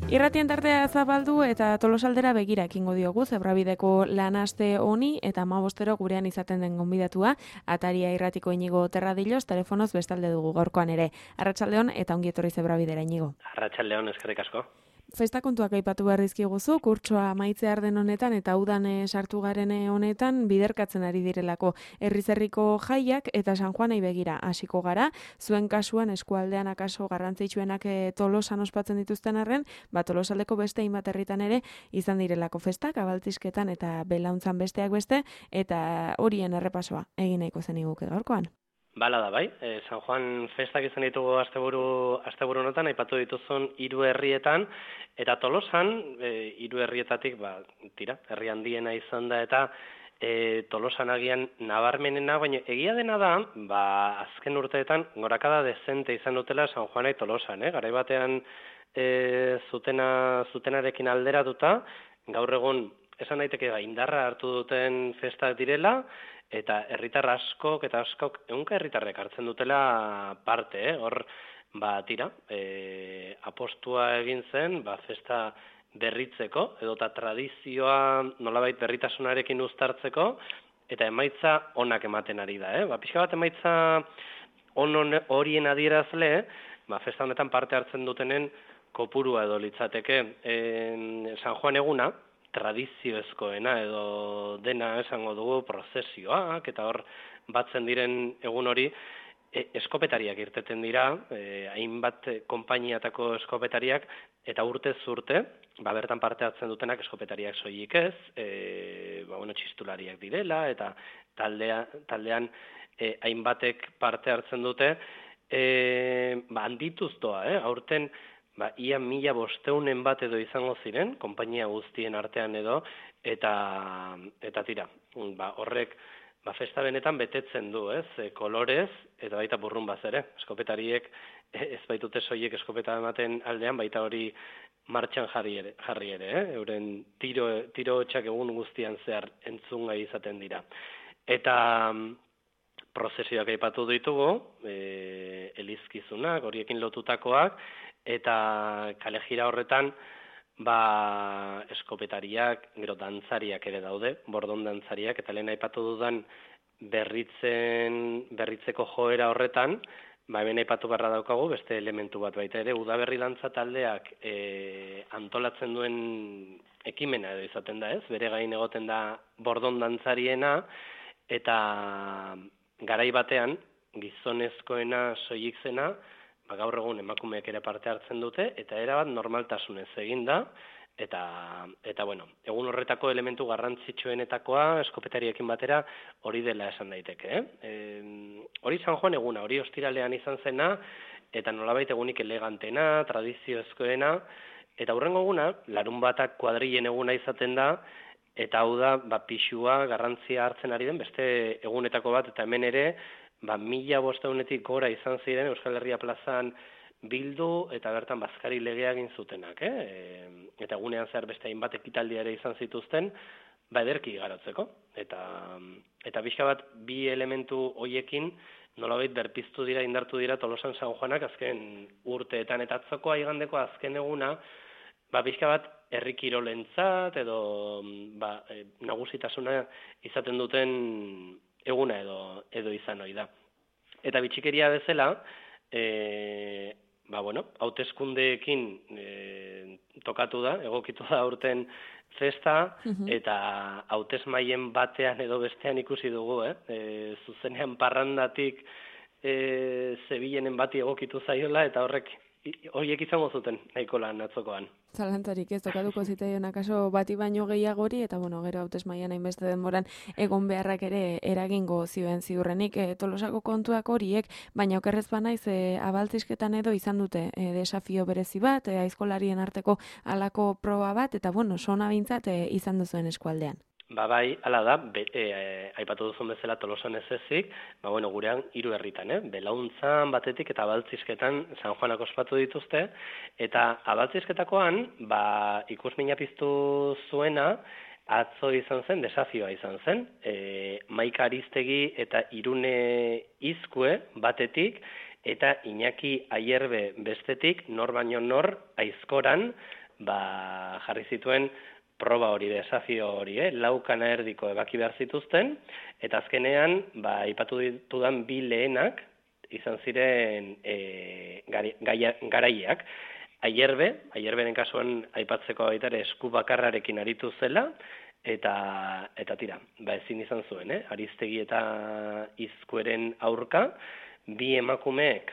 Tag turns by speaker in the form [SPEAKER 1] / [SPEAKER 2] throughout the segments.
[SPEAKER 1] Irratien tartea zabaldu eta Tolosaldera begira ekingo diogu Zebrabideko lanaste honi eta 15 gurean izaten den gonbidatua Ataria Irratiko Inigo Terradillos telefonoz bestalde dugu gaurkoan ere. Arratsaldeon eta ongi etorri Zebrabidera Inigo.
[SPEAKER 2] Arratsaldeon, eskerrik asko.
[SPEAKER 1] Festa kontuak aipatu behar dizkiguzu, kurtsoa amaitzear den honetan eta udan sartu garen honetan biderkatzen ari direlako herrizerriko jaiak eta San Juanei begira hasiko gara. Zuen kasuan eskualdean akaso garrantzitsuenak Tolosan ospatzen dituzten arren, Tolosaldeko beste hainbat herritan ere izan direlako festak, abaltzisketan eta belauntzan besteak beste, eta horien errepasoa egin nahiko zeniguke gaurkoan.
[SPEAKER 2] Bala da, bai. San Juan festak izan ditugu asteburu honetan, aipatu dituzun 3 herrietan, eta Tolosan 3 herrietatik, herri handiena izan da, eta Tolosan agian nabarmenena, baina egia dena da, azken urteetan gorakada dezente izan dutela San Juanai Tolosan, garai batean zutenarekin alderatuta, gaur egun esan daiteke indarra hartu duten festak direla, eta herritar askok ehunka herritarrek hartzen dutela parte, hor apostua egin zen, festa berritzeko, edota tradizioa nolabait berritasunarekin uztartzeko, eta emaitza onak ematen ari da. Pixka bat emaitza horien adierazle, festa honetan parte hartzen dutenen kopurua edo litzateke. San Juan eguna, tradizioezkoena edo dena esango dugu prozesioak, eta hor batzen diren egun hori eskopetariak irteten dira, hainbat konpainiatako eskopetariak, eta urtez urte, bertan parte hartzen dutenak eskopetariak soilik ez, txistulariak direla, eta taldean hainbatek parte hartzen dute, handituz doa, aurten, ia 1500 bat edo izango ziren, konpainia guztien artean edo, eta tira, horrek festa benetan betetzen du, kolorez, eta baita burrunbaz ere. Eskopetariek ez baitute soilik eskopeta ematen aldean, baita hori martxan jarri ere, euren tiro txak egun guztian zehar entzungai izaten dira. Eta prozesioak aipatu ditugu, elizkizunak, horiekin lotutakoak, eta kalejira horretan, eskopetariak, gero dantzariak ere daude, bordon dantzariak, eta lehen aipatu dudan berritzeko joera horretan, hemen aipatu barra daukagu, beste elementu bat baita ere, udaberri dantza taldeak antolatzen duen ekimena edo izaten da, bere gain egoten da bordon dantzariena, eta garai batean, gizonezkoena soilik zena, gaur egun emakumeek ere parte hartzen dute, eta erabat normaltasunez egin da, eta egun horretako elementu garrantzitsuenetakoa, eskopetariekin batera, hori dela esan daiteke. Hori San Juan eguna, hori ostiralean izan zena, eta nolabait egunik elegantena, tradizioezkoena, eta hurrengo eguna, larunbatak kuadrilen eguna izaten da, eta hau da, pixua, garrantzia hartzen ari den, beste egunetako bat, eta hemen ere, 1500-etik gora izan ziren Euskal Herria plazan bildu eta bertan bazkari legea egin zutenak. Eta egunean zehar beste hainbat ekitaldi ere izan zituzten, ederki igarotzeko. Eta pixka bat bi elementu hoiekin nolabait berpiztu dira, indartu dira Tolosan San Juanak azken urteetan. Eta atzokoa igandeko azken eguna, pixka bat herri kirolentzat edo nagusitasuna izaten duten eguna edo izan ohi da. Eta bitxikeria bezala, hauteskundeekin tokatu da, egokitu da urten festa, eta hautesmaien batean edo bestean ikusi dugu, zuzenean parrandatik Zebilenen bati egokitu zaiola, eta horiek izango zuten nahiko lan atzokoan.
[SPEAKER 1] Zalantzarik ez tokatuko zitaion akaso bati baino gehiagori, eta gero hautesmaian hainbeste denboran egon beharrak ere eragingo zioen ziurrenik Tolosako kontuak horiek, baina okerrez banaiz abaltzisketan edo izan dute desafio berezi bat, aizkolarien arteko halako proba bat, eta sona bintzat izan duzuen eskualdean.
[SPEAKER 2] Bai, hala da, aipatu duzun bezala Tolosan ez ezik, gurean 3 herritan, belauntzan batetik eta abaltzisketan San Juanak ospatu dituzte, eta abaltzizketakoan, ikusmina piztu zuena, atzo izan zen, desafioa izan zen, Maika Aristegi eta Irune Izkue batetik, eta Iñaki Aierbe bestetik, nor baino nor, aizkoran, jarri zituen proba hori, desafio hori, lau kanaerdiko ebaki behar zituzten, eta azkenean, aipatu ditudan bi lehenak izan ziren garaileak. Aierberen kasuan aipatzeko baita ere esku bakarrarekin aritu zela, eta tira, ezin izan zuen, Aristegi eta Izkueren aurka, bi emakumeek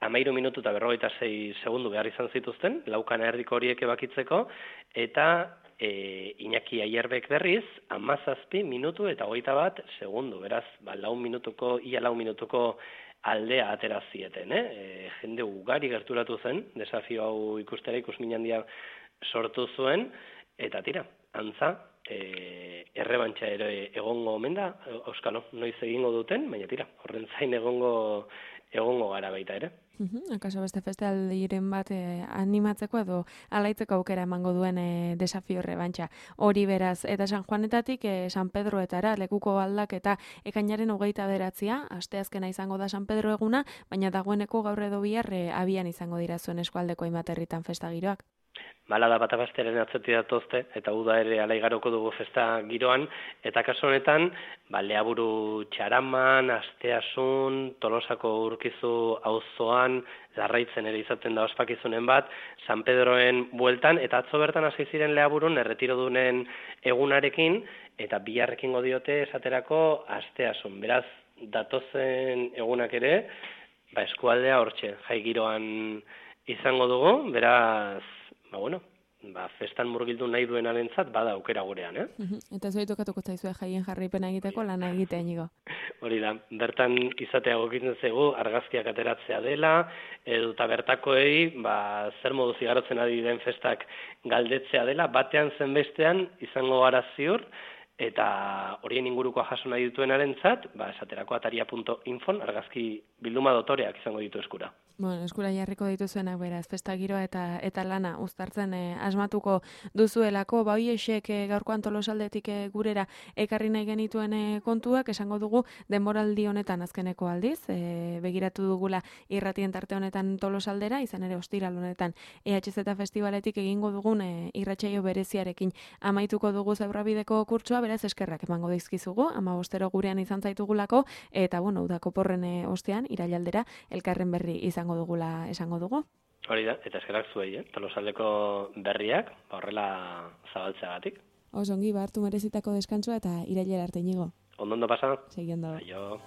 [SPEAKER 2] 13 minutu eta 56 segundu behar izan zituzten, lau kanaerdiko horiek ebakitzeko, eta Iñaki Aierbek berriz, 17 minutu eta 21 segundu, beraz, ia 4 minutuko aldea atera zieten, jende ugari gerturatu zen, desafio hau ikustera ikusmin handia sortu zuen, eta tira, antza, errebantxa ere egongo omen da, Auskalo, noiz egingo duten, baina tira, horren zain egongo gara baita ere.
[SPEAKER 1] Akaso beste festivaldiren bat animatzeko edo alaitzeko aukera emango duen desafio errebantxa. Hori beraz, eta San Juanetatik San Pedroetara lekuko aldaketa ekainaren 29, asteazkena izango da San Pedro eguna, baina dagoeneko gaur edo bihar abian izango dira zuen eskualdeko hainbat herritan festa giroak.
[SPEAKER 2] Bala da batabastearen atzetik datozte, eta uda ere alaigaroko dugu festa giroan, eta kasu honetan, Leaburu Txaraman, Asteasun, Tolosako Urkizu auzoan, Larraitzen ere izaten da ospakizunen bat, San Pedroen bueltan, eta atzo bertan hasi ziren Leaburun erretirodunen egunarekin, eta biharrekingo diote esaterako Asteasun. Beraz, datozen egunak ere, eskualdea hortxe, jai giroan izango dugu, beraz, festan murgildu nahi duenarentzat bada aukera gurean,
[SPEAKER 1] Eta zuei tokatuko zaizue jaien jarraipena egiteko lana egitea Iñigo.
[SPEAKER 2] Hori da, bertan izatea egokitzen zaigu argazkiak ateratzea dela, eta bertakoei zer modu zigarotzen ari den festak galdetzea dela, batean zenbestean izango gara ziur, eta horien ingurukoa jaso nahi dituenarentzat, esaterako ataria.infon argazki bilduma dotoreak izango ditu eskura.
[SPEAKER 1] Eskura jarriko dituzuenak beraz, festa giroa eta lana uztartzen asmatuko duzuelako, hoiexek gaurkoan Tolosaldetik gurera ekarri nahi genituen kontuak, esango dugu denboraldi honetan azkeneko aldiz, begiratu dugula irratien tarte honetan Tolosaldera, izan ere ostiral honetan EHZ Festivaletik egingo dugun irratsaio bereziarekin amaituko dugu Zebrabideko kurtsoa, beraz eskerrak emango dizkizugu, 15 gurean izan zaitugulako, eta udako porren ostean, irailaldera, elkarren berri izango dugula esango dugu.
[SPEAKER 2] Hori da, eta eskerrak zuei, Tolosaldeko berriak, horrela zabaltzeagatik.
[SPEAKER 1] Osongi, hartu merezitako deskantzua eta irailera arte Iñigo.
[SPEAKER 2] Ondo pasa?
[SPEAKER 1] Segi ondo.
[SPEAKER 2] Aio.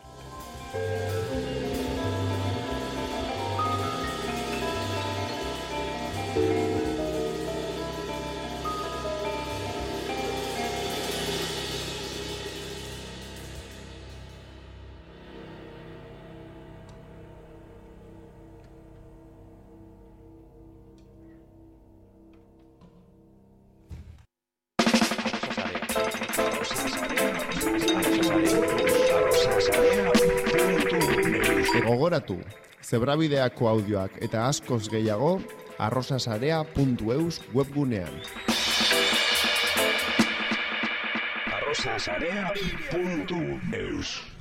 [SPEAKER 3] Gogoratu, Zebrabideako audioak eta askoz gehiago arrosasarea.eus webgunean.
[SPEAKER 4] arrosasarea.eus